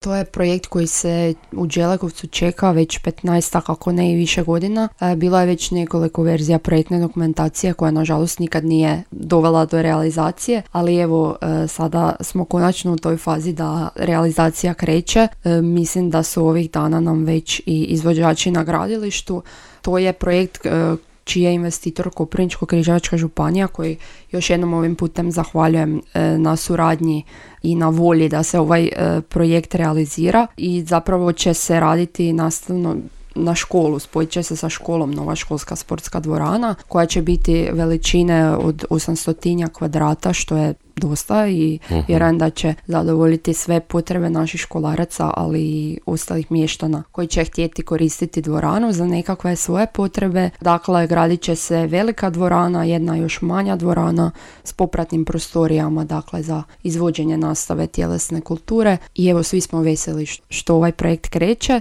To je projekt koji se u Đelekovcu čeka već 15, ako ne i više godina. Bilo je već nekoliko verzija projektne dokumentacije koja nažalost nikad nije dovela do realizacije, ali evo sada smo konačno u toj fazi da realizacija kreće. Mislim da su ovih dana nam već i izvođači na gradilištu. To je projekt čiji je investitor Koprivničko-križevačka županija, koji još jednom ovim putem zahvaljujem na suradnji i na volji da se ovaj projekt realizira, i zapravo će se raditi nastavno na školu, spojit će se sa školom nova školska sportska dvorana koja će biti veličine od 800 kvadrata, što je dosta, i vjerujem da će zadovoljiti sve potrebe naših školaraca, ali i ostalih mještana koji će htjeti koristiti dvoranu za nekakve svoje potrebe. Dakle, gradit će se velika dvorana, jedna još manja dvorana s popratnim prostorijama, dakle za izvođenje nastave tjelesne kulture, i evo svi smo veseli što ovaj projekt kreće.